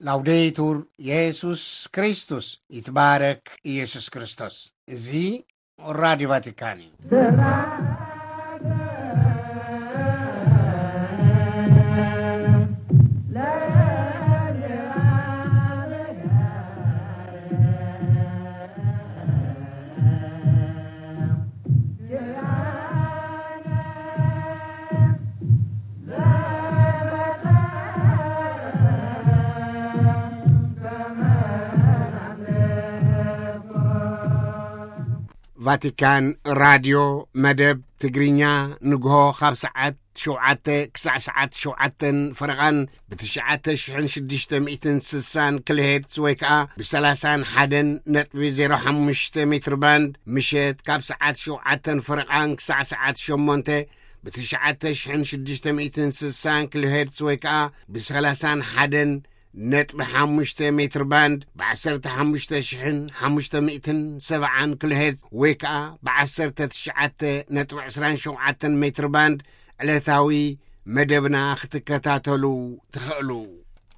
ላውዴቱር የሱስ ክርስቶስ፣ ይትባረክ ኢየሱስ ክርስቶስ። እዚ ራዲዮ ቫቲካን እዩ። ቫቲካን ራድዮ መደብ ትግርኛ፣ ንግሆ ካብ ሰዓት ሸውዓተ ክሳዕ ሰዓት ሸውዓተን ፈረቓን ብ ትሽዓተ ሽሕን ሽዱሽተ ሚእትን ስሳን ኪሎ ሄርትዝ ወይ ከኣ ብ ሰላሳን ሓደን ነጥቢ ዜሮ ሓሙሽተ ሜትር ባንድ፣ ምሸት ካብ ሰዓት ሸውዓተን ፈረቓን ክሳዕ ሰዓት ሸሞንተ ብ ትሽዓተ ሽሕን ሽዱሽተ ሚእትን ስሳን ኪሎ ሄርትዝ ወይ ከኣ ብ ሰላሳን ሓደን ነጥቢ ሓሙሽተ ሜትር ባንድ ብ ዓሰርተ ሓሙሽተ ሽሕን ሓሙሽተ ሚእትን ሰብዓን ኪሎ ሄርትዝ ወይ ከኣ ብ ዓሰርተ ትሽዓተ ነጥቢ ዕስራን ሸውዓተን ሜትር ባንድ ዕለታዊ መደብና ክትከታተሉ ትኽእሉ።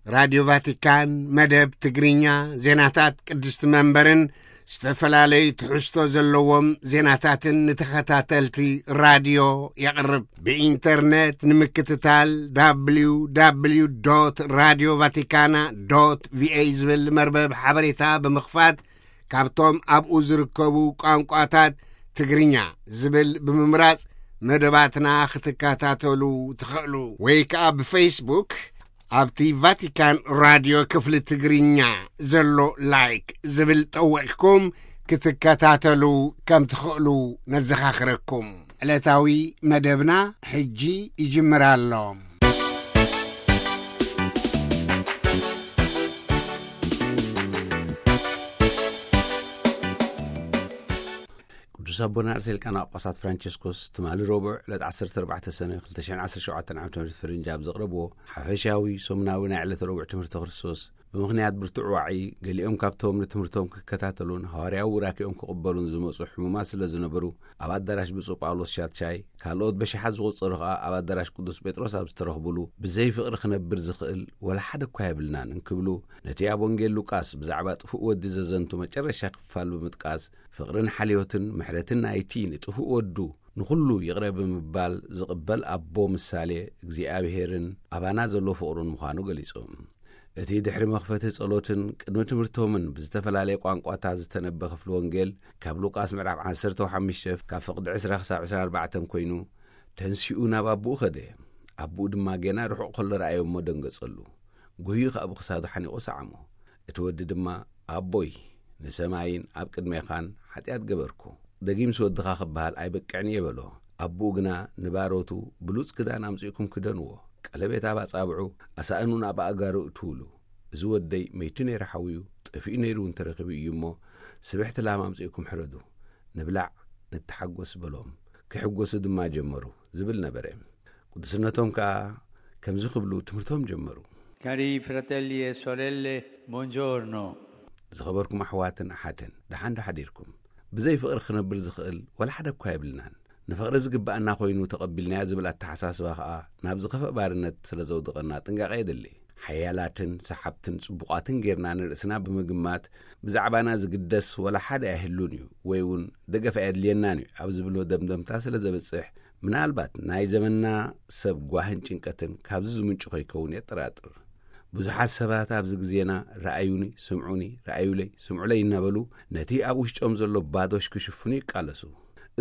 ራድዮ ቫቲካን መደብ ትግርኛ፣ ዜናታት ቅድስቲ መንበርን ዝተፈላለዩ ትሕዝቶ ዘለዎም ዜናታትን ንተኸታተልቲ ራድዮ የቕርብ። ብኢንተርነት ንምክትታል፣ www radio vaticana va ዝብል መርበብ ሓበሬታ ብምኽፋት፣ ካብቶም ኣብኡ ዝርከቡ ቋንቋታት ትግርኛ ዝብል ብምምራጽ መደባትና ክትከታተሉ ትኽእሉ። ወይ ከኣ ብፌስቡክ ኣብቲ ቫቲካን ራድዮ ክፍሊ ትግርኛ ዘሎ ላይክ ዝብል ጠዊቕኩም ክትከታተሉ ከም ትኽእሉ ነዘኻኽረኩም። ዕለታዊ መደብና ሕጂ ይጅምር ኣሎ። ቅዱስ ኣቦና ርእሰ ሊቃነ ጳጳሳት ፍራንቸስኮስ ትማሊ ረቡዕ ዕለት ዓሰርተ ኣርባዕተ ሰነ ክልተ ሽሕን ዓሰርተ ሸውዓተን ዓመተ ምህረት ፈረንጂ ኣብ ዘቕረብዎ ሓፈሻዊ ሰሙናዊ ናይ ዕለተ ረቡዕ ትምህርተ ክርስቶስ፣ ብምኽንያት ብርቱዕ ዋዒ ገሊኦም ካብቶም ንትምህርቶም ክከታተሉን ሃዋርያዊ ቡራኬኦም ክቕበሉን ዝመጹ ሕሙማት ስለ ዝነበሩ፣ ኣብ ኣዳራሽ ብፁዕ ጳውሎስ ሻትሻይ፣ ካልኦት በሽሓት ዝቑጸሩ ከኣ ኣብ ኣዳራሽ ቅዱስ ጴጥሮስ ኣብ ዝተረኽቡሉ፣ ብዘይ ፍቕሪ ክነብር ዝኽእል ወላ ሓደ እኳ የብልናን እንክብሉ፣ ነቲ ኣብ ወንጌል ሉቃስ ብዛዕባ ጥፉእ ወዲ ዘዘንቱ መጨረሻ ክፋል ብምጥቃስ፣ ፍቕርን ሓልዮትን ምሕረትን ናይቲ ንጥፉእ ወዱ ንኹሉ ይቕረ ብምባል ዝቕበል ኣቦ ምሳሌ እግዚኣብሄርን ኣባና ዘሎ ፍቕሩን ምዃኑ ገሊጹ። እቲ ድሕሪ መኽፈቲ ጸሎትን ቅድሚ ትምህርቶምን ብዝተፈላለየ ቋንቋታት ዝተነበ ክፍሊ ወንጌል፣ ካብ ሉቃስ ምዕራፍ ዓሰርተ ሓሙሽተ ካብ ፍቕዲ ዕስራ ክሳብ ዕስራን ኣርባዕተን ኮይኑ፣ ተንሲኡ ናብ ኣቦኡ ኸደ። ኣቦኡ ድማ ጌና ርሑቕ ከሎ ረኣዮ እሞ ደንገጸሉ። ጎዩ ኸኣ ብኽሳዱ ሓኒቑ ሰዓሞ። እቲ ወዲ ድማ፣ "ኣቦይ፣ ንሰማይን ኣብ ቅድሜኻን ሓጢኣት ገበርኩ። ደጊምስ ወድኻ ክበሃል ኣይበቅዕን እየ" በሎ። ኣቦኡ ግና ንባሮቱ፣ "ብሉጽ ክዳን ኣምጺእኩም ክደንዎ፣ ቀለቤት ኣብ ኣጻብዑ፣ ኣሳእኑን ኣብ ኣእጋሩ እትውሉ። እዚ ወደይ መይቱ ነይሩ ሓውዩ፣ ጠፊኡ ነይሩ እውን ተረኺቡ እዩ እሞ፣ ስብሕቲ ላም ኣምጺእኩም ሕረዱ፣ ንብላዕ፣ ንተሓጎስ" በሎም። ክሕጎሱ ድማ ጀመሩ ዝብል ነበረ። ቅዱስነቶም ከኣ ከምዚ ክብሉ ትምህርቶም ጀመሩ። Cari fratelli e sorelle, buongiorno. ዝኸበርኩም ኣሕዋትን ኣሓትን፣ ደሓን ዶ ሓዲርኩም? ብዘይ ፍቕሪ ክነብር ዝኽእል ወላ ሓደ እኳ የብልናን። ንፍቕሪ ዝግብኣና ኮይኑ ተቐቢልናዮ ዝብል ኣተሓሳስባ ከኣ ናብ ዝኸፍእ ባርነት ስለ ዘውድቐና ጥንቃቐ የድሊ። ሓያላትን ሰሓብትን ጽቡቓትን ጌርና ንርእስና ብምግማት፣ ብዛዕባና ዝግደስ ወላ ሓደ ኣይህሉን እዩ ወይ እውን ደገፍ ኣየድልየናን እዩ ኣብ ዝብሎ ደምደምታ ስለ ዘብጽሕ፣ ምናልባት ናይ ዘመንና ሰብ ጓህን ጭንቀትን ካብዚ ዝምንጩ ከይከውን የጠራጥር። ብዙሓት ሰባት ኣብዚ ግዜና "ረኣዩኒ፣ ስምዑኒ፣ ረኣዩለይ፣ ስምዑለይ" እናበሉ ነቲ ኣብ ውሽጦም ዘሎ ባዶሽ ክሽፍኑ ይቃለሱ።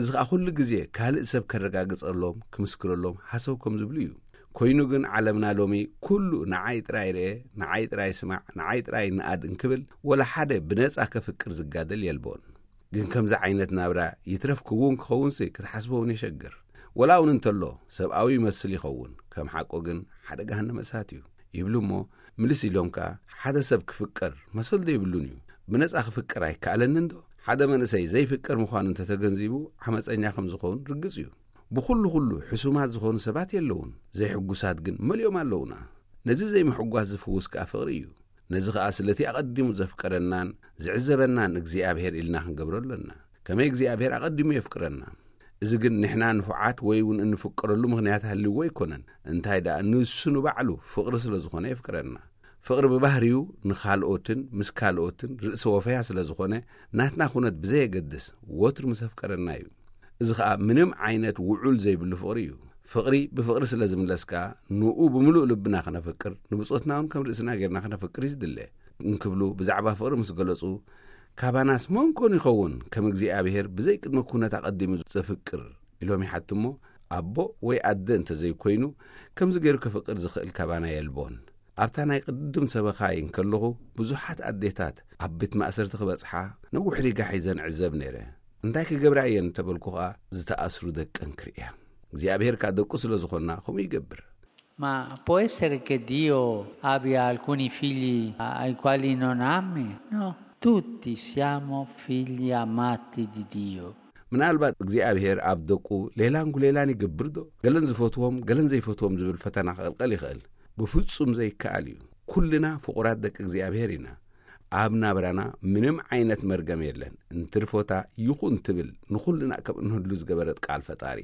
እዚ ኸኣ ኩሉ ግዜ ካልእ ሰብ ከረጋግጸሎም፣ ክምስክረሎም ሃሰው ከም ዝብሉ እዩ። ኮይኑ ግን ዓለምና ሎሚ ኩሉ "ንዓይ ጥራይ ርኤ፣ ንዓይ ጥራይ ስማዕ፣ ንዓይ ጥራይ ንኣድ" እንክብል ወላ ሓደ ብነጻ ከፍቅር ዝጋደል የልቦን። ግን ከምዚ ዓይነት ናብራ ይትረፍ ክውን ክኸውንሲ ክትሓስቦ እውን የሸግር። ወላ እውን እንተሎ ሰብኣዊ ይመስል ይኸውን፣ ከም ሓቁ ግን ሓደ ገሃነመ እሳት እዩ ይብሉ እሞ፣ ምልስ ኢሎም ከኣ "ሓደ ሰብ ክፍቀር መሰል ዶ የብሉን እዩ? ብነጻ ክፍቀር ኣይከኣለንን ዶ?" ሓደ መንእሰይ ዘይፍቀር ምዃኑ እንተተገንዚቡ ዓመጸኛ ከም ዝኸውን ርግጽ እዩ። ብኹሉ ኩሉ ሕሱማት ዝኾኑ ሰባት የለውን፣ ዘይሕጉሳት ግን መሊኦም ኣለውና። ነዚ ዘይምሕጓስ ዝፍውስ ከኣ ፍቕሪ እዩ። ነዚ ኸኣ ስለቲ ኣቐዲሙ ዘፍቀረናን ዝዕዘበናን እግዚኣብሔር ኢልና ክንገብሮ ኣሎና። ከመይ እግዚኣብሔር ኣቐዲሙ የፍቅረና። እዚ ግን ንሕና ንፉዓት ወይ እውን እንፍቀረሉ ምኽንያት ሃልይዎ ኣይኮነን። እንታይ ደኣ ንሱ ንባዕሉ ፍቕሪ ስለ ዝኾነ የፍቅረና። ፍቕሪ ብባህሪኡ ንኻልኦትን ምስ ካልኦትን ርእሰ ወፈያ ስለ ዝኾነ፣ ናትና ኩነት ብዘየገድስ ወትሩ ምስ ኣፍቀረና እዩ። እዚ ኸኣ ምንም ዓይነት ውዑል ዘይብሉ ፍቕሪ እዩ። ፍቕሪ ብፍቕሪ ስለ ዝምለስ ከኣ፣ ንኡ ብምሉእ ልብና ኸነፍቅር፣ ንብጾትና እውን ከም ርእስና ጌርና ኸነፍቅር እዩ ዝድለ። እንክብሉ ብዛዕባ ፍቕሪ ምስ ገለጹ፣ ካባናስ መን ኮን ይኸውን ከም እግዚኣብሔር ብዘይ ቅድመ ኩነት ኣቐዲሙ ዘፍቅር? ኢሎም ይሓቱ እሞ፣ ኣቦ ወይ ኣደ እንተ ዘይኮይኑ፣ ከምዚ ገይሩ ከፍቅር ዝኽእል ካባና የልቦን። ኣብታ ናይ ቅድም ሰበኻይ እንከለኹ፣ ብዙሓት ኣዴታት ኣብ ቤት ማእሰርቲ ክበጽሓ ነዊሕ ሪጋ ሒዘን ዕዘብ ነይረ። እንታይ ክገብራ እየን እንተበልኩ ኸኣ፣ ዝተኣስሩ ደቀን ክርእያ። እግዚኣብሔር ከኣ ደቁ ስለ ዝኾንና፣ ከምኡ ይገብር። Ma può essere che Dio abbia alcuni figli ai quali non ami? No, tutti siamo figli amati di Dio. ምናልባት እግዚኣብሔር ኣብ ደቁ ሌላን ጉሌላን ይገብር ዶ? ገለን ዝፈትዎም፣ ገለን ዘይፈትዎም ዝብል ፈተና ክቕልቀል ይኽእል። ብፍጹም ዘይከኣል እዩ። ኩልና ፍቑራት ደቂ እግዚኣብሔር ኢና። ኣብ ናብራና ምንም ዓይነት መርገም የለን። እንትርፎታ ይኹን ትብል ንኹልና ከም እንህሉ ዝገበረት ቃል ፈጣሪ።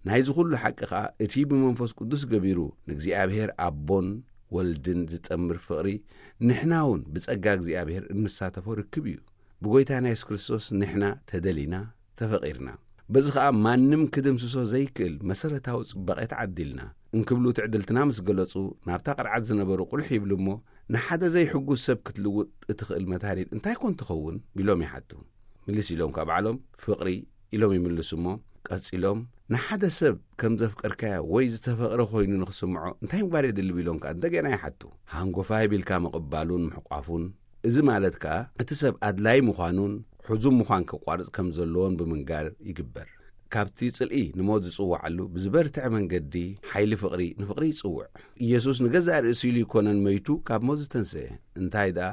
ናይዚ ኩሉ ሓቂ ኸኣ እቲ ብመንፈስ ቅዱስ ገቢሩ ንእግዚኣብሔር ኣቦን ወልድን ዝጠምር ፍቕሪ፣ ንሕና እውን ብጸጋ እግዚኣብሔር እንሳተፎ ርክብ እዩ። ብጎይታና የሱስ ክርስቶስ ንሕና ተደሊና፣ ተፈቒርና። በዚ ኸኣ ማንም ክድምስሶ ዘይክእል መሰረታዊ ጽባቐ ተዓዲልና። እንክብሉ ትዕድልትና ምስ ገለጹ፣ ናብታ ቅርዓት ዝነበሩ ቁልሕ ይብሉ እሞ፣ ንሓደ ዘይሕጉስ ሰብ ክትልውጥ እትኽእል መድሃኒት እንታይ ኮን ትኸውን? ቢሎም ይሓቱ። ምልስ ኢሎም ካብ ባዕሎም፣ ፍቕሪ ኢሎም ይምልሱ እሞ፣ ቀጺሎም፣ ንሓደ ሰብ ከም ዘፍቀርካዮ ወይ ዝተፈቕረ ኮይኑ ንኽስምዖ እንታይ ምግባር የድሊ? ቢሎም ከኣ እንደገና ይሓቱ። ሃንጎፋይ ቢልካ ምቕባሉን ምሕቋፉን፣ እዚ ማለት ከኣ እቲ ሰብ ኣድላይ ምዃኑን ሕዙም ምዃን ከቋርጽ ከም ዘለዎን ብምንጋር ይግበር። ካብቲ ጽልኢ ንሞት ዝጽውዓሉ ብዝበርትዐ መንገዲ ሓይሊ ፍቕሪ ንፍቕሪ ይጽውዕ። ኢየሱስ ንገዛእ ርእሱ ኢሉ ይኮነን መይቱ ካብ ሞት ዝተንስአ፣ እንታይ ደኣ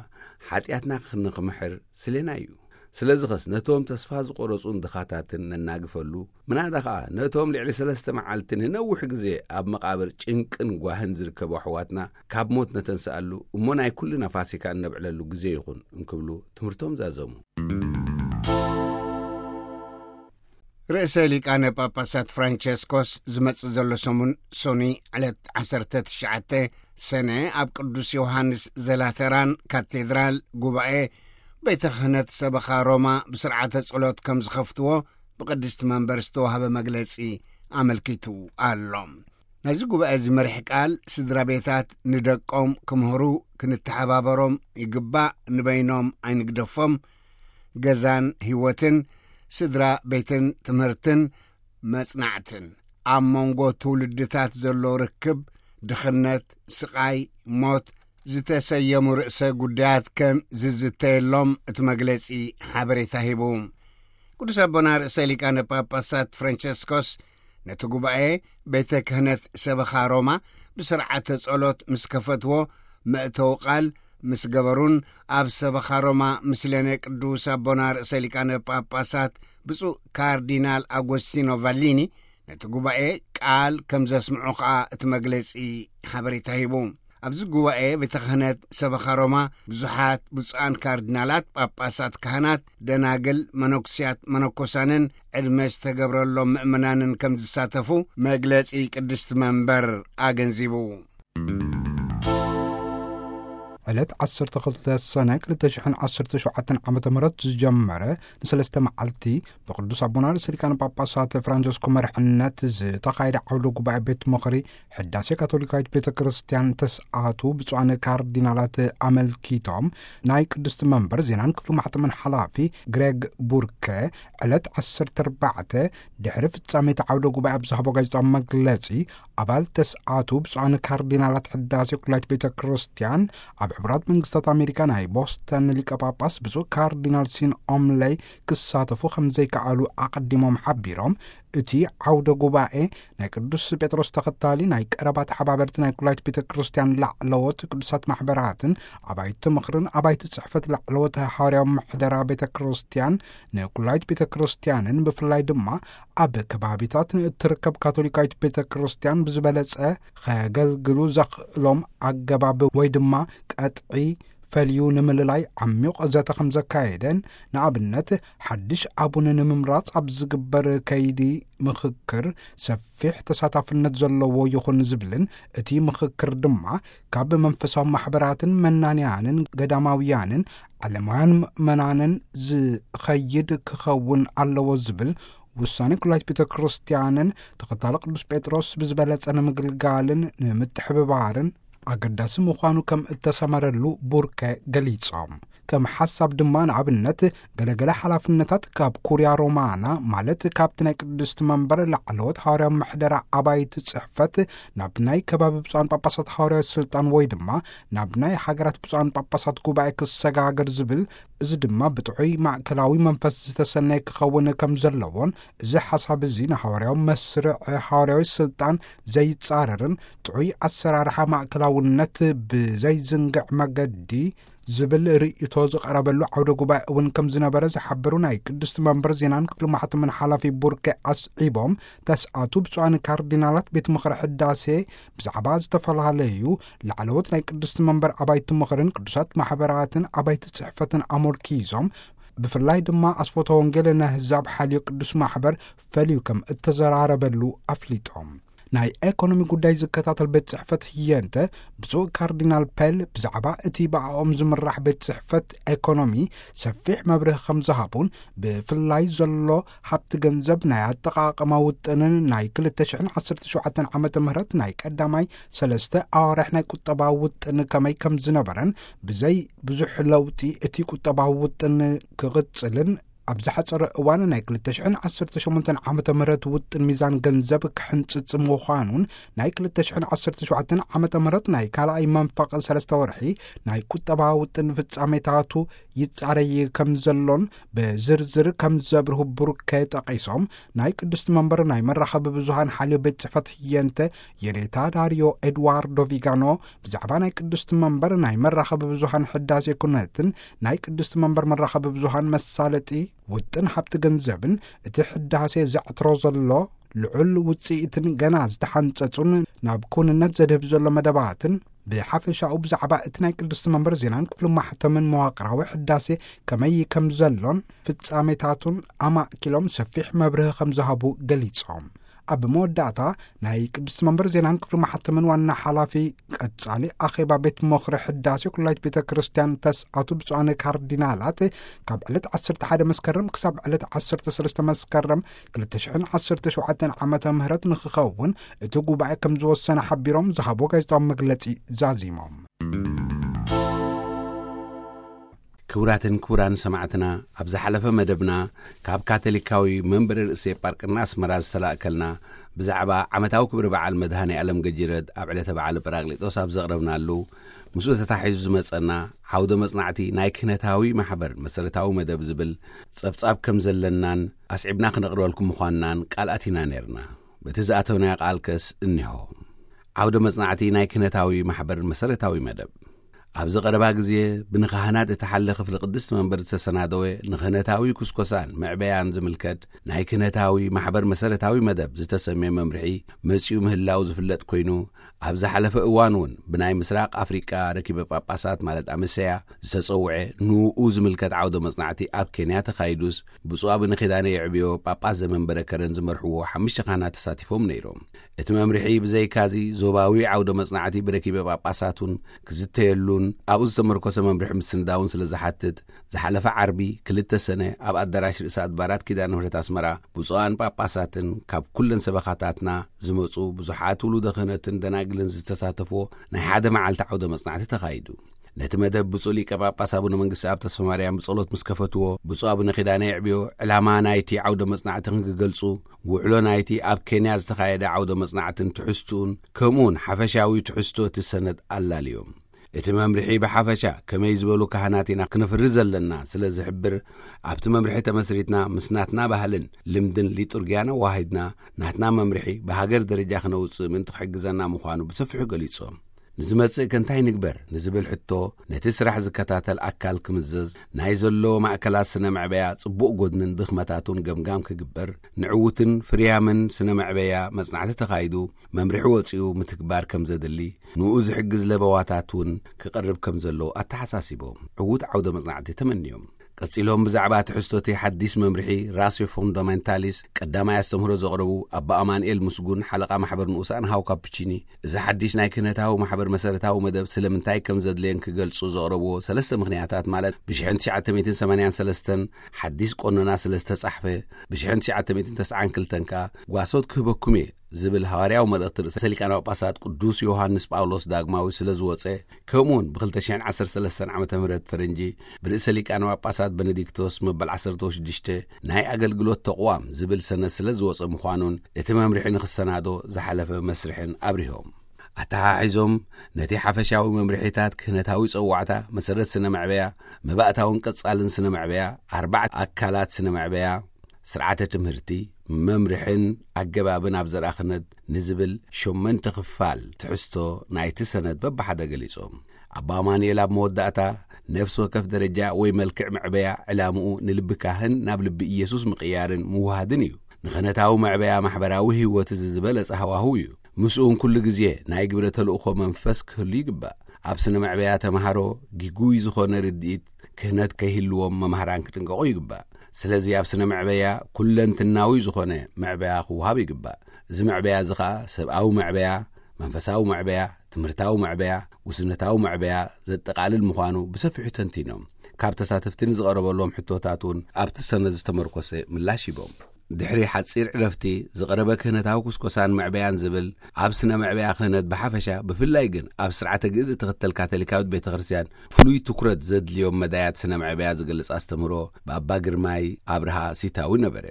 ሓጢኣትና ንኽምሕር ስሌና እዩ። ስለዚ ኸስ ነቶም ተስፋ ዝቖረጹን ድኻታትን ነናግፈሉ፣ ምናዳ ኸኣ ነቶም ልዕሊ ሰለስተ መዓልቲ ንነዊሕ ግዜ ኣብ መቓብር ጭንቅን ጓህን ዝርከቡ ኣሕዋትና ካብ ሞት ነተንስኣሉ፣ እሞ ናይ ኩልና ፋሲካ እነብዕለሉ ግዜ ይኹን እንክብሉ ትምህርቶም ዛዘሙ። ርእሰ ሊቃነ ጳጳሳት ፍራንቸስኮስ ዝመጽእ ዘሎ ሰሙን ሶኒ ዕለት ዓሰርተ ትሽዓተ ሰነ ኣብ ቅዱስ ዮሃንስ ዘላተራን ካቴድራል ጉባኤ ቤተ ክህነት ሰበኻ ሮማ ብስርዓተ ጸሎት ከም ዝኸፍትዎ ብቅድስቲ መንበር ዝተዋህበ መግለጺ ኣመልኪቱ ኣሎ። ናይዚ ጉባኤ እዚ መሪሕ ቃል፣ ስድራ ቤታት ንደቆም ክምህሩ ክንተሓባበሮም ይግባእ፣ ንበይኖም ኣይንግደፎም፣ ገዛን ህይወትን፣ ስድራ ቤትን ትምህርትን መጽናዕትን፣ ኣብ መንጎ ትውልድታት ዘሎ ርክብ፣ ድኽነት፣ ስቓይ፣ ሞት፣ ዝተሰየሙ ርእሰ ጉዳያት ከም ዝዝተየሎም እቲ መግለጺ ሓበሬታ ሂቡ። ቅዱስ ኣቦና ርእሰ ሊቃነ ጳጳሳት ፍራንቸስኮስ ነቲ ጉባኤ ቤተ ክህነት ሰበኻ ሮማ ብስርዓተ ጸሎት ምስ ከፈትዎ፣ መእተዊ ቃል ምስ ገበሩን ኣብ ሰበኻ ሮማ ምስለነ ቅዱስ ኣቦና ርእሰ ሊቃነ ጳጳሳት ብፁዕ ካርዲናል ኣጎስቲኖ ቫሊኒ ነቲ ጉባኤ ቃል ከም ዘስምዑ ኸኣ እቲ መግለጺ ሓበሬታ ሂቡ። ኣብዚ ጉባኤ ቤተ ክህነት ሰበኻ ሮማ ብዙሓት ብፁዓን ካርዲናላት፣ ጳጳሳት፣ ካህናት፣ ደናግል፣ መነኩስያት፣ መነኮሳንን ዕድመ ዝተገብረሎም ምእመናንን ከም ዝሳተፉ መግለጺ ቅድስቲ መንበር ኣገንዚቡ። ዕለት ዓሰርተ ክልተ ሰነ ክልተ ሽሕን ዓሰርተ ሸውዓተን ዓመተ ምህረት ዝጀመረ ንሰለስተ መዓልቲ ብቅዱስ ኣቦና ርእሰ ሊቃነ ጳጳሳት ፍራንቸስኮ መርሕነት ዝተኻየደ ዓውደ ጉባኤ ቤት ምኽሪ ሕዳሴ ካቶሊካዊት ቤተ ክርስቲያን ተስኣቱ ብፁዓን ካርዲናላት ኣመልኪቶም ናይ ቅድስቲ መንበር ዜናን ክፍሊ ማሕተምን ሓላፊ ግሬግ ቡርከ ዕለት ዓሰርተ ኣርባዕተ ድሕሪ ፍጻሜ እቲ ዓውደ ጉባኤ ኣብ ዝሃቦ ጋዜጣዊ መግለጺ ኣባል ተስኣቱ ብፁዓን ካርዲናላት ሕዳሴ ኩላይት ቤተ ክርስቲያን ኣብ ሕቡራት መንግስታት ኣሜሪካ ናይ ቦስተን ሊቀ ጳጳስ ብፁዕ ካርዲናል ሲን ኦምለይ ክሳተፉ ከም ዘይከኣሉ ኣቐዲሞም ሓቢሮም፣ እቲ ዓውደ ጉባኤ ናይ ቅዱስ ጴጥሮስ ተኸታሊ ናይ ቀረባ ተሓባበርቲ ናይ ኩላይት ቤተ ክርስቲያን ላዕለዎት ቅዱሳት ማሕበራትን ኣባይቲ ምኽርን ኣባይቲ ጽሕፈት ላዕለዎት ሃዋርያዊ ምሕደራ ቤተ ክርስቲያን ንኩላይት ቤተ ክርስቲያንን ብፍላይ ድማ ኣብ ከባቢታት ንእትርከብ ካቶሊካዊት ቤተ ክርስቲያን ብዝበለጸ ከገልግሉ ዘኽእሎም ኣገባብ ወይ ድማ ቀጥዒ ፈልዩ ንምልላይ ዓሚቕ ዘተ ከም ዘካየደን፣ ንኣብነት ሓድሽ ኣቡን ንምምራጽ ኣብ ዝግበር ከይዲ ምኽክር ሰፊሕ ተሳታፍነት ዘለዎ ይኹን ዝብልን፣ እቲ ምኽክር ድማ ካብ መንፈሳዊ ማሕበራትን መናንያንን ገዳማውያንን ዓለማውያን ምእመናንን ዝኸይድ ክኸውን ኣለዎ ዝብል ውሳኔ ኩላይት ቤተ ክርስቲያንን ተኸታሊ ቅዱስ ጴጥሮስ ብዝበለጸ ንምግልጋልን ንምትሕብባርን ኣገዳሲ ምዃኑ ከም እተሰመረሉ ቡርከ ገሊጾም። ከም ሓሳብ ድማ ንኣብነት ገለገለ ሓላፍነታት ካብ ኩርያ ሮማና፣ ማለት ካብቲ ናይ ቅድስቲ መንበር ላዕለዎት ሃዋርያዊ ምሕደራ ኣባይቲ ጽሕፈት ናብ ናይ ከባቢ ብፁዓን ጳጳሳት ሃዋርያዊ ስልጣን ወይ ድማ ናብ ናይ ሃገራት ብፁዓን ጳጳሳት ጉባኤ ክሰጋገር ዝብል፣ እዚ ድማ ብጥዑይ ማእከላዊ መንፈስ ዝተሰነየ ክኸውን ከም ዘለዎን፣ እዚ ሓሳብ እዚ ንሃዋርያዊ መስርዕ ሃዋርያዊ ስልጣን ዘይጻረርን ጥዑይ ኣሰራርሓ ማእከላውነት ብዘይዝንግዕ መገዲ ዝብል ርእይቶ ዝቐረበሉ ዓውደ ጉባኤ እውን ከም ዝነበረ ዝሓበሩ ናይ ቅድስቲ መንበር ዜናን ክፍሊ ማሕተምን ሓላፊ ቡርከ ኣስዒቦም፣ ተስኣቱ ብፁዓን ካርዲናላት ቤት ምኽሪ ሕዳሴ ብዛዕባ ዝተፈላለዩ ላዕለዎት ናይ ቅድስቲ መንበር ኣባይቲ ምኽርን ቅዱሳት ማሕበራትን ኣባይቲ ጽሕፈትን ኣመልኪዞም፣ ብፍላይ ድማ ኣስፎተ ወንጌል ነህዛብ ሓልዮ ቅዱስ ማሕበር ፈልዩ ከም እተዘራረበሉ ኣፍሊጦም። ናይ ኤኮኖሚ ጉዳይ ዝከታተል ቤት ጽሕፈት ህየንተ ብፁዕ ካርዲናል ፔል ብዛዕባ እቲ ብኣኦም ዝምራሕ ቤት ጽሕፈት ኤኮኖሚ ሰፊሕ መብርህ ከም ዝሃቡን፣ ብፍላይ ዘሎ ሃብቲ ገንዘብ ናይ ኣጠቓቕማ ውጥንን ናይ ክልተ ሽሕን ዓሰርተ ሸውዓተን ዓመተ ምህረት ናይ ቀዳማይ ሰለስተ ኣዋርሕ ናይ ቁጠባዊ ውጥን ከመይ ከም ዝነበረን፣ ብዘይ ብዙሕ ለውጢ እቲ ቁጠባዊ ውጥን ክቕጽልን፣ ኣብ ዝሓጸረ እዋን ናይ ክልተ ሽሕን ዓሰርተ ሸሞንተን ዓመተ ምህረት ውጥን ሚዛን ገንዘብ ክሕንጽጽ ምዃኑን፣ ናይ ክልተ ሽሕን ዓሰርተ ሸውዓተን ዓመተ ምህረት ናይ ካልኣይ መንፈቕ ሰለስተ ወርሒ ናይ ቁጠባዊ ውጥን ፍጻሜታቱ ይጻረይ ከም ዘሎን ብዝርዝር ከም ዘብርሁ ቡርከ ጠቒሶም፣ ናይ ቅድስቲ መንበር ናይ መራኸቢ ብዙሃን ሓልዮ ቤት ጽሕፈት ህየንተ የኔታ ዳርዮ ኤድዋርዶ ቪጋኖ ብዛዕባ ናይ ቅድስቲ መንበር ናይ መራኸቢ ብዙሃን ሕዳሴ ኩነትን ናይ ቅድስቲ መንበር መራኸቢ ብዙሃን መሳለጢ ውጥን ሃብቲ ገንዘብን እቲ ሕዳሴ ዘዕትሮ ዘሎ ልዑል ውጽኢትን ገና ዝተሓንጸጹን ናብ ኩንነት ዘድህብ ዘሎ መደባትን ብሓፈሻኡ ብዛዕባ እቲ ናይ ቅድስቲ መንበር ዜናን ክፍሊ ማሕተምን መዋቕራዊ ሕዳሴ ከመይ ከም ዘሎን ፍጻሜታቱን ኣማእኪሎም ሰፊሕ መብርሂ ከም ዝሃቡ ገሊጾም። ኣብ መወዳእታ ናይ ቅድስቲ መንበር ዜናን ክፍሊ ማሕተምን ዋና ሓላፊ ቀጻሊ ኣኼባ ቤት ምኽሪ ሕዳሴ ኩላይት ቤተ ክርስቲያን ተስኣቱ ብፁዓን ካርዲናላት ካብ ዕለት ዓሰርተ ሓደ መስከረም ክሳብ ዕለት ዓሰርተ ሰለስተ መስከረም ክልተ ሽሕን ዓሰርተ ሸውዓተን ዓመተ ምህረት ንክኸውን እቲ ጉባኤ ከም ዝወሰነ ሓቢሮም ዝሃቦ ጋዜጣዊ መግለጺ ዛዚሞም። ክቡራትን ክቡራን ሰማዕትና፣ ኣብ ዝሓለፈ መደብና ካብ ካቶሊካዊ መንበረ ርእሰ ኤጳርቅና ኣስመራ ዝተላእከልና ብዛዕባ ዓመታዊ ክብሪ በዓል መድሃኔ ዓለም ገጂረት ኣብ ዕለተ በዓል ጳራቅሊጦስ ኣብ ዘቕረብናሉ፣ ምስኡ ተታሒዙ ዝመጸና ዓውደ መጽናዕቲ ናይ ክህነታዊ ማሕበር መሰረታዊ መደብ ዝብል ጸብጻብ ከም ዘለናን ኣስዒብና ክነቕርበልኩም ምዃንናን ቃል ኣቲና ነይርና። በቲ ዝኣተውናዮ ቃል ከስ እኒሆ። ዓውደ መጽናዕቲ ናይ ክህነታዊ ማሕበር መሰረታዊ መደብ። ኣብዚ ቀረባ ግዜ ብንካህናት እተሓለ ክፍሊ ቅድስቲ መንበር ዝተሰናደወ ንክህነታዊ ኩስኮሳን መዕበያን ዝምልከት ናይ ክህነታዊ ማሕበር መሰረታዊ መደብ ዝተሰምየ መምርሒ መጺኡ ምህላው ዝፍለጥ ኮይኑ፣ ኣብ ዝሓለፈ እዋን እውን ብናይ ምስራቅ ኣፍሪቃ ረኪበ ጳጳሳት ማለት ኣመሰያ ዝተጸውዐ ንኡ ዝምልከት ዓውደ መጽናዕቲ ኣብ ኬንያ ተኻይዱስ፣ ብፁዕ ኣቡነ ኪዳነ የዕብዮ ጳጳስ ዘመንበረ ከረን ዝመርሕዎ ሓሙሽተ ካህናት ተሳቲፎም ነይሮም። እቲ መምርሒ ብዘይካዚ ዞባዊ ዓውደ መጽናዕቲ ብረኪበ ጳጳሳት እውን ክዝተየሉን ኣብኡ ዝተመርኮሰ መምርሒ ምስንዳውን ስለ ዝሓትት፣ ዝሓለፈ ዓርቢ ክልተ ሰነ ኣብ ኣዳራሽ ርእሰ ኣድባራት ኪዳነ ምሕረት ኣስመራ ብፁዓን ጳጳሳትን ካብ ኩለን ሰበኻታትና ዝመጹ ብዙሓት ውሉደ ክህነትን ደናግልን ዝተሳተፍዎ ናይ ሓደ መዓልቲ ዓውደ መጽናዕቲ ተኻይዱ። ነቲ መደብ ብፁዕ ሊቀ ጳጳስ ኣቡነ መንግስቲ ኣብ ተስፋ ማርያም ብጸሎት ምስ ከፈትዎ፣ ብፁዕ ኣቡነ ኪዳነ የዕብዮ ዕላማ ናይቲ ዓውደ መጽናዕቲ ክንክገልጹ፣ ውዕሎ ናይቲ ኣብ ኬንያ ዝተኻየደ ዓውደ መጽናዕትን ትሕዝትኡን፣ ከምኡውን ሓፈሻዊ ትሕዝቶ እቲ ሰነድ ኣላልዮም። እቲ መምርሒ ብሓፈሻ ከመይ ዝበሉ ካህናት ኢና ክነፍሪ ዘለና ስለ ዝሕብር፣ ኣብቲ መምርሒ ተመስሪትና ምስ ናትና ባህልን ልምድን ሊጡርጊያን ኣዋሂድና፣ ናትና መምርሒ ብሃገር ደረጃ ክነውጽእ ምእንቲ ክሕግዘና ምዃኑ ብሰፊሑ ገሊጾም። ንዝመጽእ ከ እንታይ ንግበር ንዝብል ሕቶ፣ ነቲ ስራሕ ዝከታተል ኣካል ክምዘዝ፣ ናይ ዘሎ ማእከላት ስነ መዕበያ ጽቡቕ ጎድንን ድኽመታቱን ገምጋም ክግበር፣ ንዕዉትን ፍርያምን ስነ መዕበያ መጽናዕቲ ተኻይዱ፣ መምርሒ ወጺኡ ምትግባር ከም ዘድሊ፣ ንኡ ዝሕግዝ ለበዋታት እውን ክቐርብ ከም ዘሎ ኣተሓሳሲቦም፣ ዕዉት ዓውደ መጽናዕቲ ተመንዮም። ቀጺሎም ብዛዕባ ትሕዝቶቲ ሓዲስ መምርሒ ራስዮ ፎንዳሜንታሊስ ቀዳማይ ኣስተምህሮ ዘቕረቡ ኣባ ኣማንኤል ምስጉን፣ ሓለቓ ማሕበር ንኡሳን ሃው ካፕቺኒ፣ እዚ ሓዲስ ናይ ክህነታዊ ማሕበር መሰረታዊ መደብ ስለምንታይ ከም ዘድልየን ክገልጹ ዘቕረብዎ ሰለስተ ምኽንያታት፣ ማለት ብሽሕን ትሽዓተ ሚእትን ሰማንያን ሰለስተን ሓዲስ ቆነና ስለ ዝተጻሕፈ፣ ብሽሕን ትሽዓተ ሚእትን ተስዓን ክልተን ከኣ ጓሶት ክህበኩም እየ ዝብል ሃዋርያዊ መልእኽቲ ርእሰ ሊቃነ ጳጳሳት ቅዱስ ዮሃንስ ጳውሎስ ዳግማዊ ስለ ዝወጸ፣ ከምኡውን ብ ክልተ ሽሕን ዓሰርተ ሰለስተን ዓመተ ምህረት ፈረንጂ ብርእሰ ሊቃነ ጳጳሳት በነዲክቶስ መበል ዓሰርተ ሽዱሽተ ናይ ኣገልግሎት ተቕዋም ዝብል ሰነድ ስለ ዝወጸ ምዃኑን፣ እቲ መምርሒ ንኽሰናዶ ዝሓለፈ መስርሕን ኣብሪሆም። ኣተሓሒዞም፣ ነቲ ሓፈሻዊ መምርሒታት ክህነታዊ ጸዋዕታ፣ መሰረት ስነ መዕበያ፣ መባእታውን ቀጻልን ስነ መዕበያ፣ ኣርባዕተ ኣካላት ስነ መዕበያ፣ ስርዓተ ትምህርቲ፣ መምርሕን ኣገባብን ኣብ ዘርኣ ክህነት ንዝብል ሸመንተ ክፋል ትሕዝቶ ናይቲ ሰነድ በብሓደ ገሊጾም። ኣባ ኣማኑኤል ኣብ መወዳእታ፣ ነፍሲ ወከፍ ደረጃ ወይ መልክዕ መዕበያ ዕላምኡ ንልቢ ካህን ናብ ልቢ ኢየሱስ ምቕያርን ምውሃድን እዩ። ንኽህነታዊ መዕበያ ማሕበራዊ ህይወት እዚ ዝበለጸ ሃዋህው እዩ። ምስኡን ኩሉ ግዜ ናይ ግብረ ተልእኾ መንፈስ ክህሉ ይግባእ። ኣብ ስነ መዕበያ ተምሃሮ ጊጉይ ዝኾነ ርድኢት ክህነት ከይህልዎም መማህራን ክጥንቀቑ ይግባእ። ስለዚ ኣብ ስነ መዕበያ ኩለንትናዊ ዝኾነ መዕበያ ክወሃብ ይግባእ። እዚ መዕበያ እዚ ኸኣ ሰብኣዊ መዕበያ፣ መንፈሳዊ መዕበያ፣ ትምህርታዊ መዕበያ፣ ጉስነታዊ መዕበያ ዘጠቓልል ምዃኑ ብሰፊሑ ተንቲኖም። ካብ ተሳተፍቲ ንዝቐረበሎም ሕቶታት እውን ኣብቲ ሰነድ ዝተመርኮሰ ምላሽ ሂቦም። ድሕሪ ሓጺር ዕረፍቲ ዝቐረበ ክህነታዊ ኩስኮሳን መዕበያን ዝብል ኣብ ስነ መዕበያ ክህነት ብሓፈሻ፣ ብፍላይ ግን ኣብ ስርዓተ ግእዝ እትኽተል ካቶሊካዊት ቤተ ክርስቲያን ፍሉይ ትኩረት ዘድልዮም መዳያት ስነ መዕበያ ዝገልጽ ኣስተምህሮ ብኣባ ግርማይ ኣብርሃ ሲታዊ ነበረ።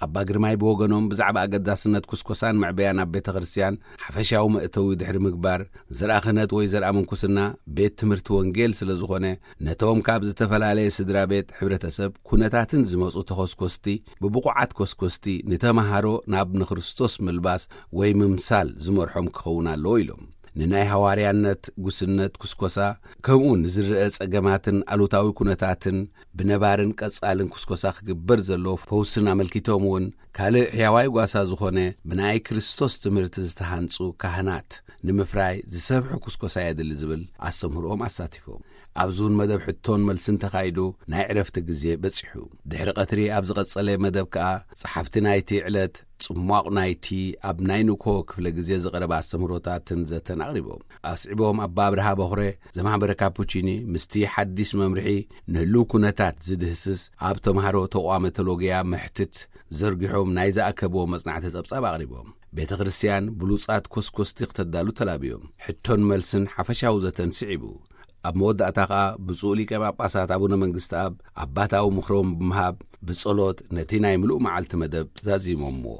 ኣባ ግርማይ ብወገኖም ብዛዕባ ኣገዳስነት ኩስኮሳን መዕበያን ኣብ ቤተ ክርስቲያን ሓፈሻዊ መእተዊ ድሕሪ ምግባር፣ ዘርኣ ክህነት ወይ ዘርኣ ምንኩስና ቤት ትምህርቲ ወንጌል ስለ ዝኾነ፣ ነቶም ካብ ዝተፈላለየ ስድራ ቤት፣ ሕብረተሰብ፣ ኩነታትን ዝመጹ ተኾስኮስቲ፣ ብብቑዓት ኮስኮስቲ ንተማሃሮ ናብ ንክርስቶስ ምልባስ ወይ ምምሳል ዝመርሖም ክኸውን ኣለዎ ኢሎም። ንናይ ሃዋርያነት ጉስነት ኩስኮሳ፣ ከምኡ ንዝረአ ጸገማትን ኣሉታዊ ኩነታትን ብነባርን ቀጻልን ኩስኮሳ ክግበር ዘለዎ ፈውስን ኣመልኪቶም እውን፣ ካልእ ሕያዋይ ጓሳ ዝኾነ ብናይ ክርስቶስ ትምህርቲ ዝተሃንጹ ካህናት ንምፍራይ ዝሰፍሐ ኩስኮሳ የድሊ ዝብል ኣስተምህሮኦም ኣሳቲፎም። ኣብዚ እውን መደብ ሕቶን መልስን ተኻይዱ ናይ ዕረፍቲ ግዜ በጺሑ። ድሕሪ ቀትሪ ኣብ ዝቐጸለ መደብ ከኣ ጸሓፍቲ ናይቲ ዕለት ጽሟቕ ናይቲ ኣብ ናይ ንግሆ ክፍለ ግዜ ዝቐረበ ኣስተምህሮታትን ዘተን ኣቕሪቦም። ኣስዒቦም ኣባ ኣብርሃ በኹረ ዘማሕበረ ካፑቺኒ ምስቲ ሓዲስ መምርሒ ንህልው ኩነታት ዝድህስስ ኣብ ተምሃሮ ተቋመ ቴሎጊያ መሕትት ዘርጊሖም ናይ ዝኣከብዎ መጽናዕቲ ጸብጻብ ኣቕሪቦም። ቤተ ክርስቲያን ብሉጻት ኮስኮስቲ ክተዳሉ ተላብዮም። ሕቶን መልስን ሓፈሻዊ ዘተን ስዒቡ። ኣብ መወዳእታ ኸኣ ብፁዕ ሊቀ ጳጳሳት ኣቡነ መንግስቲ ኣብ ኣባታዊ ምኽሮም ብምሃብ ብጸሎት ነቲ ናይ ምሉእ መዓልቲ መደብ ዛዚሞምዎ።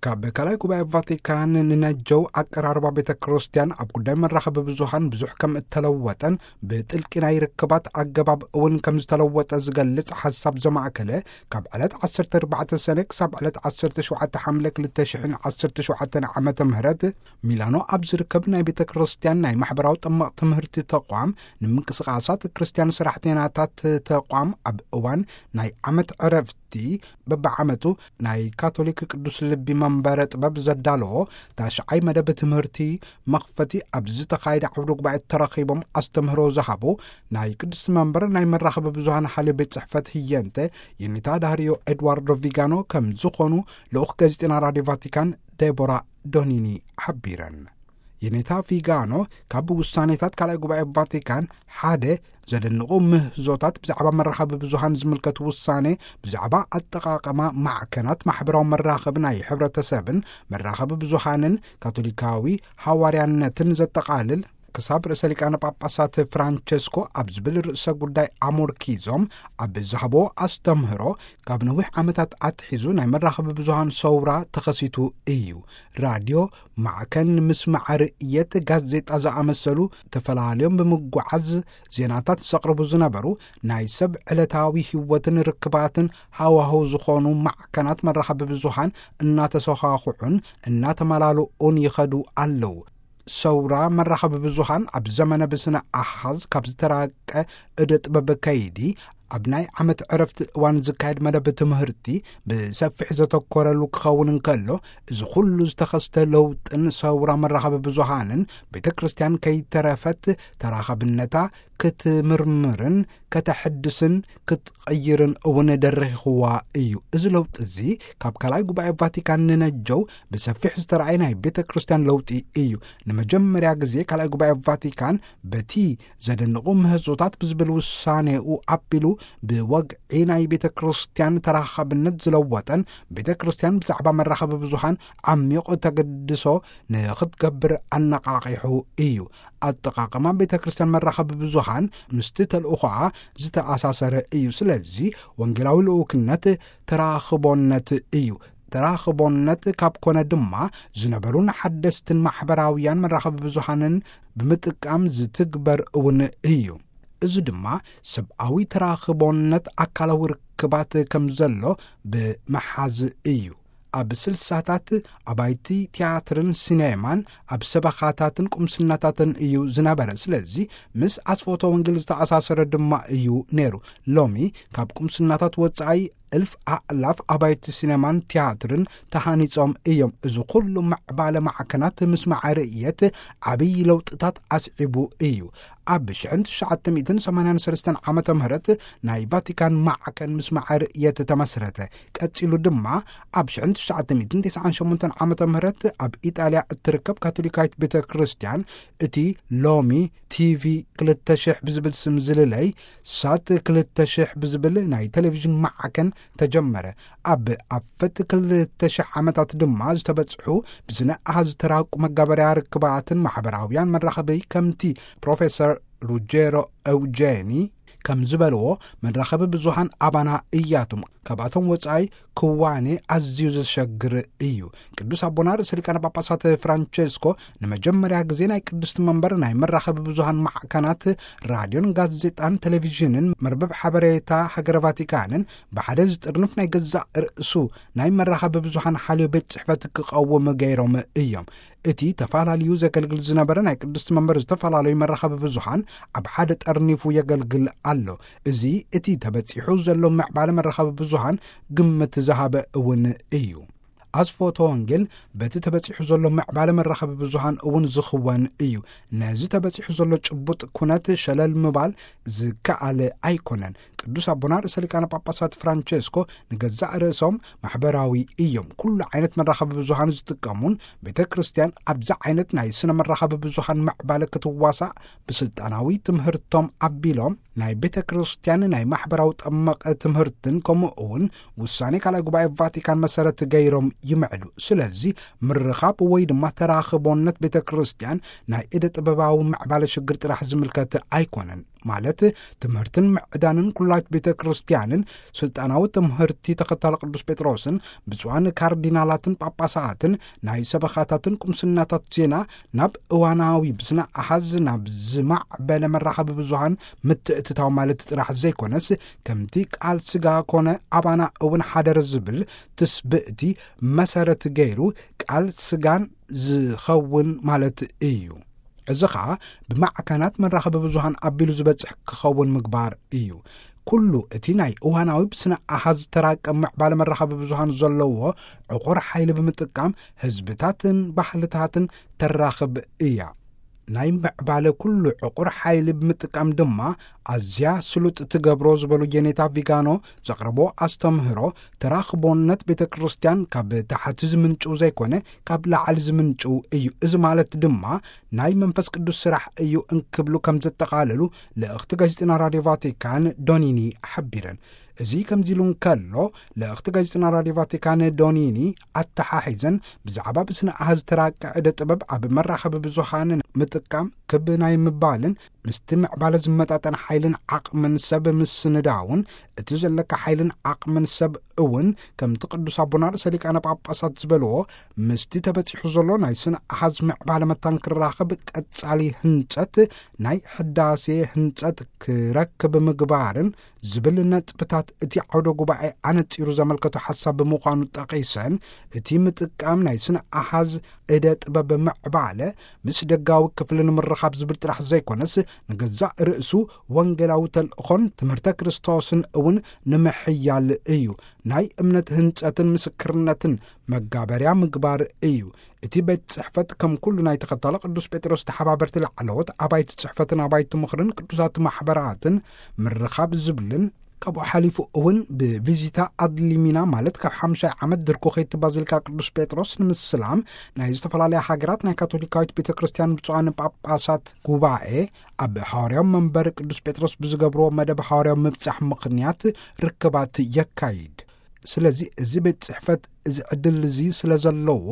ካብ ካልኣይ ጉባኤ ቫቲካን ንነጀው ኣቀራርባ ቤተ ክርስቲያን ኣብ ጉዳይ መራኸቢ ብዙሃን ብዙሕ ከም እተለወጠን ብጥልቂ ናይ ርክባት ኣገባብ እውን ከም ዝተለወጠ ዝገልጽ ሓሳብ ዘማእከለ ካብ ዕለት ዓሰርተ ኣርባዕተ ሰነ ክሳብ ዕለት ዓሰርተ ሸውዓተ ሓምለ ክልተ ሽሕን ዓሰርተ ሸውዓተን ዓመተ ምህረት ሚላኖ ኣብ ዝርከብ ናይ ቤተ ክርስቲያን ናይ ማሕበራዊ ጠመቕ ትምህርቲ ተቋም ንምንቅስቓሳት ክርስቲያን ሰራሕተኛታት ተቋም ኣብ እዋን ናይ ዓመት ዕረፍቲ በብዓመቱ ናይ ካቶሊክ ቅዱስ ልቢ መንበረ ጥበብ ዘዳለዎ ታሽዓይ መደብ ትምህርቲ መኽፈቲ ኣብ ዝተኻየደ ዓውደ ጉባኤ ተረኺቦም ኣስተምህሮ ዝሃቡ ናይ ቅዱስ መንበር ናይ መራኸቢ ብዙሃን ሓልዮ ቤት ጽሕፈት ህየንተ የኔታ ዳህርዮ ኤድዋርዶ ቪጋኖ ከም ዝኾኑ ልኡኽ ጋዜጠና ራድዮ ቫቲካን ዴቦራ ዶኒኒ ሓቢረን። የኔታ ቪጋኖ ካብ ውሳኔታት ካልኣይ ጉባኤ ቫቲካን ሓደ ዘደንቑ ምህዞታት ብዛዕባ መራኸቢ ብዙሃን ዝምልከት ውሳኔ ብዛዕባ ኣጠቓቕማ ማዕከናት ማሕበራዊ መራኸቢ ናይ ሕብረተሰብን መራኸቢ ብዙሃንን ካቶሊካዊ ሃዋርያነትን ዘጠቓልል ክሳብ ርእሰ ሊቃነ ጳጳሳት ፍራንቸስኮ ኣብ ዝብል ርእሰ ጉዳይ ኣሞርኪዞም ኣብ ዝሃቦ ኣስተምህሮ፣ ካብ ነዊሕ ዓመታት ኣትሒዙ ናይ መራኸቢ ብዙሃን ሰውራ ተኸሲቱ እዩ። ራድዮ፣ ማዕከን ምስማዕ ርእየት፣ ጋዜጣ ዝኣመሰሉ ተፈላለዮም ብምጓዓዝ ዜናታት ዘቕርቡ ዝነበሩ ናይ ሰብ ዕለታዊ ህይወትን ርክባትን ሃዋህው ዝኾኑ ማዕከናት መራኸቢ ብዙሃን እናተሰኻኽዑን እናተመላልኡን ይኸዱ ኣለዉ። ሰውራ መራኸቢ ብዙሃን ኣብ ዘመነ ብስነ ኣሃዝ ካብ ዝተራቀ እደ ጥበብ ከይዲ፣ ኣብ ናይ ዓመት ዕረፍቲ እዋን ዝካየድ መደብ ትምህርቲ ብሰፊሕ ዘተኮረሉ ክኸውን እንከሎ፣ እዚ ኩሉ ዝተኸስተ ለውጥን ሰውራ መራኸቢ ብዙሃንን ቤተ ክርስቲያን ከይተረፈት ተራኸብነታ ክትምርምርን ከተሐድስን ክትቐይርን እውን ደረኺኽዋ እዩ። እዚ ለውጢ እዚ ካብ ካልኣይ ጉባኤ ቫቲካን ንነጀው ብሰፊሕ ዝተረኣየ ናይ ቤተ ክርስቲያን ለውጢ እዩ። ንመጀመርያ ግዜ ካልኣይ ጉባኤ ቫቲካን በቲ ዘደንቑ ምህዞታት ብዝብል ውሳኔኡ ኣቢሉ ብወግዒ ናይ ቤተ ክርስቲያን ተራኻብነት ዝለወጠን ቤተ ክርስቲያን ብዛዕባ መራኸቢ ብዙሃን ዓሚቕ ተገድሶ ንኽትገብር ኣነቓቒሑ እዩ። ኣጠቓቕማ ቤተ ክርስቲያን መራኸቢ ብዙሃን ምስቲ ተልእኾኣ ዝተኣሳሰረ እዩ። ስለዚ ወንጌላዊ ልኡክነት ተራኽቦነት እዩ። ተራኽቦነት ካብ ኮነ ድማ ዝነበሩን ሓደስትን ማሕበራውያን መራኸቢ ብዙሃንን ብምጥቃም ዝትግበር እውን እዩ። እዚ ድማ ሰብኣዊ ተራኽቦነት ኣካላዊ ርክባት ከም ዘሎ ብምሓዝ እዩ። ኣብ ስልሳታት ኣባይቲ ትያትርን ሲኔማን ኣብ ሰበኻታትን ቁምስናታትን እዩ ዝነበረ። ስለዚ ምስ ኣስፎቶ ወንጌል ዝተኣሳሰረ ድማ እዩ ነይሩ። ሎሚ ካብ ቁምስናታት ወጻኢ እልፍ ኣእላፍ ኣባይቲ ሲኔማን ትያትርን ተሃኒጾም እዮም። እዚ ኩሉ ምዕባለ ማዕከናት ምስማዕ ርእየት ዓብዪ ለውጥታት ኣስዒቡ እዩ። ኣብ ሽሕን ትሽዓተ ሚእትን ሰማንያን ሰለስተን ዓመተ ምህረት ናይ ቫቲካን ማዕከን ምስማዕ ርእየት ተመስረተ። ቀጺሉ ድማ ኣብ ሽሕን ትሽዓተ ሚእትን ተስዓን ሸሞንተን ዓመተ ምህረት ኣብ ኢጣልያ እትርከብ ካቶሊካዊት ቤተ ክርስቲያን እቲ ሎሚ ቲቪ ክልተ ሽሕ ብዝብል ስም ዝልለይ ሳት ክልተ ሽሕ ብዝብል ናይ ቴሌቪዥን ማዕከን ተጀመረ። ኣብ ኣፈት ክልተ ሽሕ ዓመታት ድማ ዝተበጽሑ ብስነ ኣሃዝ ዝተራቁ መጋበርያ ርክባትን ማሕበራውያን መራኸቢ ከምቲ ፕሮፌሰር ሩጀሮ ኤውጄኒ ከም ዝበልዎ፣ መራኸቢ ብዙሃን ኣባና እያቶም። ካብኣቶም ወጻኢ ክዋኔ ኣዝዩ ዘሸግር እዩ። ቅዱስ ኣቦና ርእሰ ሊቃነ ጳጳሳት ፍራንቸስኮ ንመጀመርያ ግዜ ናይ ቅድስቲ መንበር ናይ መራኸቢ ብዙሃን ማዕከናት ራድዮን ጋዜጣን ቴሌቪዥንን መርበብ ሓበሬታ ሃገረ ቫቲካንን ብሓደ ዝጥርንፍ ናይ ገዛእ ርእሱ ናይ መራኸቢ ብዙሃን ሓልዮ ቤት ጽሕፈት ክቐውም ገይሮም እዮም። እቲ ተፈላለዩ ዘገልግል ዝነበረ ናይ ቅድስቲ መንበር ዝተፈላለዩ መራኸቢ ብዙሃን ኣብ ሓደ ጠርኒፉ የገልግል ኣሎ። እዚ እቲ ተበጺሑ ዘሎ ምዕባለ መራኸቢ ብዙሃን ግምት ዝሃበ እውን እዩ። ኣስፎቶ ወንጌል በቲ ተበጺሑ ዘሎ ምዕባለ መራኸቢ ብዙሃን እውን ዝኽወን እዩ። ነዚ ተበጺሑ ዘሎ ጭቡጥ ኩነት ሸለል ምባል ዝከኣል ኣይኮነን። ቅዱስ ኣቦና ርእሰ ሊቃነ ጳጳሳት ፍራንቸስኮ ንገዛእ ርእሶም ማሕበራዊ እዮም። ኩሉ ዓይነት መራኸቢ ብዙሃን ዝጥቀሙን ቤተ ክርስቲያን ኣብዚ ዓይነት ናይ ስነ መራኸቢ ብዙሃን ምዕባለ ክትዋሳእ ብስልጣናዊ ትምህርቶም ኣቢሎም ናይ ቤተ ክርስቲያን ናይ ማሕበራዊ ጠመቐ ትምህርትን ከምኡ እውን ውሳኔ ካልኣይ ጉባኤ ቫቲካን መሰረት ገይሮም ይምዕዱ። ስለዚ ምርኻብ ወይ ድማ ተራኽቦነት ቤተ ክርስቲያን ናይ እደ ጥበባዊ ምዕባለ ሽግር ጥራሕ ዝምልከት ኣይኮነን። ማለት ትምህርትን ምዕዳንን ኩላይት ቤተ ክርስቲያንን ስልጣናዊ ትምህርቲ ተኸታሊ ቅዱስ ጴጥሮስን ብፁዓን ካርዲናላትን ጳጳሳትን ናይ ሰበኻታትን ቁምስናታት ዜና ናብ እዋናዊ ብስነ ኣሃዝ ናብ ዝማዕበለ መራኸቢ ብዙሃን ምትእትታው ማለት ጥራሕ ዘይኮነስ፣ ከምቲ ቃል ስጋ ኮነ ኣባና እውን ሓደረ ዝብል ትስብእቲ መሰረት ገይሩ ቃል ስጋን ዝኸውን ማለት እዩ። እዚ ኸኣ ብማዕከናት መራኸቢ ብዙሃን ኣቢሉ ዝበጽሕ ክኸውን ምግባር እዩ። ኩሉ እቲ ናይ እዋናዊ ብስነ ኣሃዝ ተራቀ ምዕባለ መራኸቢ ብዙሃን ዘለዎ ዕቑር ሓይሊ ብምጥቃም ህዝብታትን ባህልታትን ተራኽብ እያ። ናይ ምዕባለ ኩሉ ዕቑር ሓይሊ ብምጥቃም ድማ ኣዝያ ስሉጥ ትገብሮ ዝበሉ የኔታ ቪጋኖ ዘቕረቦ ኣስተምህሮ፣ ተራኽቦነት ቤተ ክርስቲያን ካብ ታሕቲ ዝምንጭው ዘይኮነ ካብ ላዕሊ ዝምንጭው እዩ። እዚ ማለት ድማ ናይ መንፈስ ቅዱስ ስራሕ እዩ እንክብሉ ከም ዘጠቓለሉ ልእኽቲ ጋዜጠና ራድዮ ቫቲካን ዶኒኒ ሓቢረን። እዚ ከምዚ ኢሉ እንከሎ፣ ልእኽቲ ጋዜጠና ራድዮ ቫቲካን ዶኒኒ ኣተሓሒዘን፣ ብዛዕባ ብስነ ኣሃዝ ተራቀ ዕደ ጥበብ ኣብ መራኸቢ ብዙሃን ምጥቃም ክብ ናይ ምባልን ምስቲ ምዕባለ ዝመጣጠን ሓይልን ዓቕምን ሰብ ምስንዳውን፣ እቲ ዘለካ ሓይልን ዓቕምን ሰብ እውን ከምቲ ቅዱስ ኣቦና ርእሰ ሊቃነ ጳጳሳት ዝበልዎ፣ ምስቲ ተበጺሑ ዘሎ ናይ ስነ ኣሃዝ ምዕባለ መታን ክራኸብ ቀጻሊ ህንጸት ናይ ሕዳሴ ህንጸት ክረክብ ምግባርን ዝብል ነጥብታት እቲ ዓውደ ጉባኤ ኣነጺሩ ዘመልከቱ ሓሳብ ብምዃኑ ጠቒሰን፣ እቲ ምጥቃም ናይ ስነ ኣሃዝ እደ ጥበብ ምዕባለ ምስ ደጋዊ ክፍሊ ንምርኻብ ዝብል ጥራሕ ዘይኮነስ፣ ንገዛእ ርእሱ ወንጌላዊ ተልእኾን ትምህርተ ክርስቶስን እውን ንምሕያል እዩ። ናይ እምነት ህንጸትን ምስክርነትን መጋበርያ ምግባር እዩ። እቲ ቤት ጽሕፈት ከም ኩሉ ናይ ተኸታሎ ቅዱስ ጴጥሮስ ተሓባበርቲ ላዕለዎት ኣባይቲ ጽሕፈትን ኣባይቲ ምኽርን ቅዱሳት ማሕበራትን ምርኻብ ዝብልን፣ ካብኡ ሓሊፉ እውን ብቪዚታ ኣድሊሚና፣ ማለት ካብ ሓምሻይ ዓመት ድርኮ ከይቲ ባዚልካ ቅዱስ ጴጥሮስ ንምስላም ናይ ዝተፈላለያ ሃገራት ናይ ካቶሊካዊት ቤተ ክርስቲያን ብፁዓን ጳጳሳት ጉባኤ ኣብ ሃዋርያዊ መንበር ቅዱስ ጴጥሮስ ብዝገብርዎ መደብ ሃዋርያዊ ምብጻሕ ምኽንያት ርክባት የካይድ። ስለዚ እዚ ቤት ጽሕፈት እዚ ዕድል እዚ ስለ ዘለዎ፣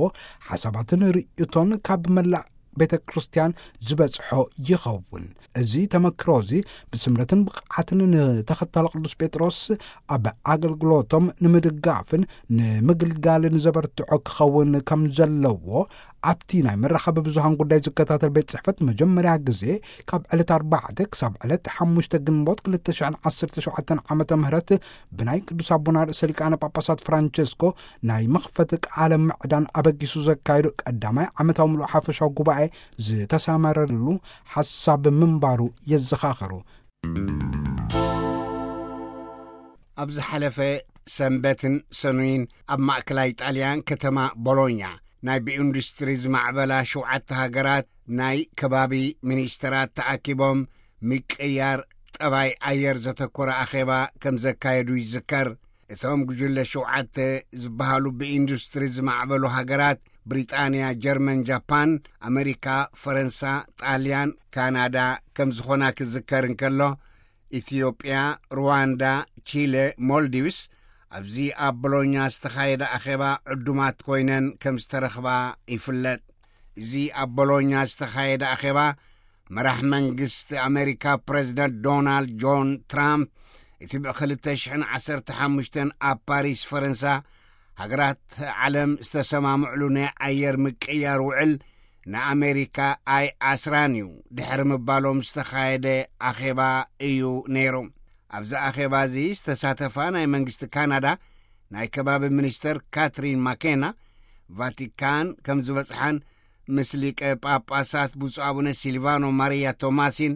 ሓሳባትን ርእይቶን ካብ መላእ ቤተ ክርስቲያን ዝበጽሖ ይኸውን። እዚ ተመክሮ እዚ ብስምረትን ብቕዓትን ንተኸታሎ ቅዱስ ጴጥሮስ ኣብ ኣገልግሎቶም ንምድጋፍን ንምግልጋልን ዘበርትዖ ክኸውን ከም ዘለዎ፣ ኣብቲ ናይ መራኸቢ ብዙሃን ጉዳይ ዝከታተል ቤት ጽሕፈት መጀመርያ ግዜ ካብ ዕለት ኣርባዕተ ክሳብ ዕለት ሓሙሽተ ግንቦት ክልተ ሽሕን ዓሰርተ ሸውዓተን ዓመተ ምህረት ብናይ ቅዱስ ኣቦና ርእሰ ሊቃነ ጳጳሳት ፍራንቸስኮ ናይ መኽፈቲ ቃለ ምዕዳን ኣበጊሱ ዘካየዱ ቀዳማይ ዓመታዊ ምሉእ ሓፈሻዊ ጉባኤ ዝተሰመረሉ ሓሳብ ምንባሩ የዘኻኸሩ። ኣብ ዝሓለፈ ሰንበትን ሰኑይን ኣብ ማእከላይ ጣልያን ከተማ ቦሎኛ ናይ ብኢንዱስትሪ ዝማዕበላ ሸውዓተ ሃገራት ናይ ከባቢ ሚኒስተራት ተኣኪቦም ምቅያር ጠባይ ኣየር ዘተኮረ ኣኼባ ከም ዘካየዱ ይዝከር። እቶም ጉጅለ ሸውዓተ ዝበሃሉ ብኢንዱስትሪ ዝማዕበሉ ሃገራት ብሪጣንያ፣ ጀርመን፣ ጃፓን፣ ኣመሪካ፣ ፈረንሳ፣ ጣልያን፣ ካናዳ ከም ዝኾና ክዝከር እንከሎ፣ ኢትዮጵያ፣ ሩዋንዳ፣ ቺለ፣ ሞልዲቭስ ኣብዚ ኣብ ቦሎኛ ዝተኻየደ ኣኼባ ዕዱማት ኮይነን ከም ዝተረኽባ ይፍለጥ። እዚ ኣብ ቦሎኛ ዝተኻየደ ኣኼባ መራሕ መንግስቲ ኣሜሪካ ፕሬዚደንት ዶናልድ ጆን ትራምፕ፣ እቲ ብ ክልተ ሽሕን ዓሰርተ ሓሙሽተን ኣብ ፓሪስ ፈረንሳ ሃገራት ዓለም ዝተሰማምዕሉ ናይ ኣየር ምቅያር ውዕል ንኣሜሪካ ኣይ ኣስራን እዩ ድሕሪ ምባሎም ዝተኻየደ ኣኼባ እዩ ነይሩ። ኣብዚ ኣኼባ እዚ ዝተሳተፋ ናይ መንግስቲ ካናዳ ናይ ከባቢ ሚኒስተር ካትሪን ማኬና፣ ቫቲካን ከም ዝበጽሓን ምስ ሊቀ ጳጳሳት ብፁዕ ኣቡነ ሲልቫኖ ማሪያ ቶማሲን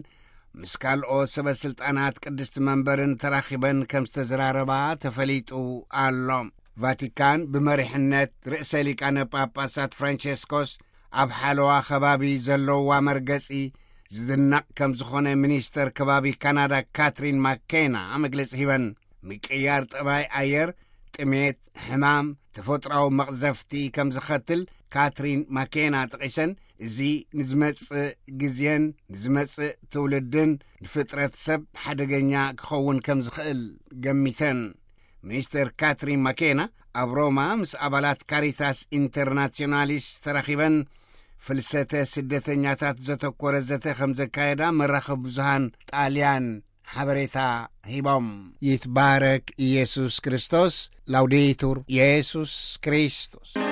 ምስ ካልኦት ሰበ ስልጣናት ቅድስቲ መንበርን ተራኺበን ከም ዝተዘራረባ ተፈሊጡ ኣሎ። ቫቲካን ብመሪሕነት ርእሰ ሊቃነ ጳጳሳት ፍራንቸስኮስ ኣብ ሓለዋ ከባቢ ዘለዋ መርገጺ ዝድነቕ ከም ዝኾነ ሚኒስተር ከባቢ ካናዳ ካትሪን ማኬና መግለጺ ሂበን። ምቅያር ጠባይ ኣየር፣ ጥሜት፣ ሕማም፣ ተፈጥሮኣዊ መቕዘፍቲ ከም ዝኸትል ካትሪን ማኬና ጠቒሰን፣ እዚ ንዝመጽእ ግዜን ንዝመጽእ ትውልድን ንፍጥረት ሰብ ሓደገኛ ክኸውን ከም ዝኽእል ገሚተን። ሚኒስተር ካትሪን ማኬና ኣብ ሮማ ምስ ኣባላት ካሪታስ ኢንተርናሲዮናሊስ ተራኺበን ፍልሰተ ስደተኛታት ዘተኮረ ዘተ ከም ዘካየዳ መራኸቢ ብዙሃን ጣልያን ሓበሬታ ሂቦም። ይትባረክ ኢየሱስ ክርስቶስ። ላውዴቱር ኢየሱስ ክርስቶስ።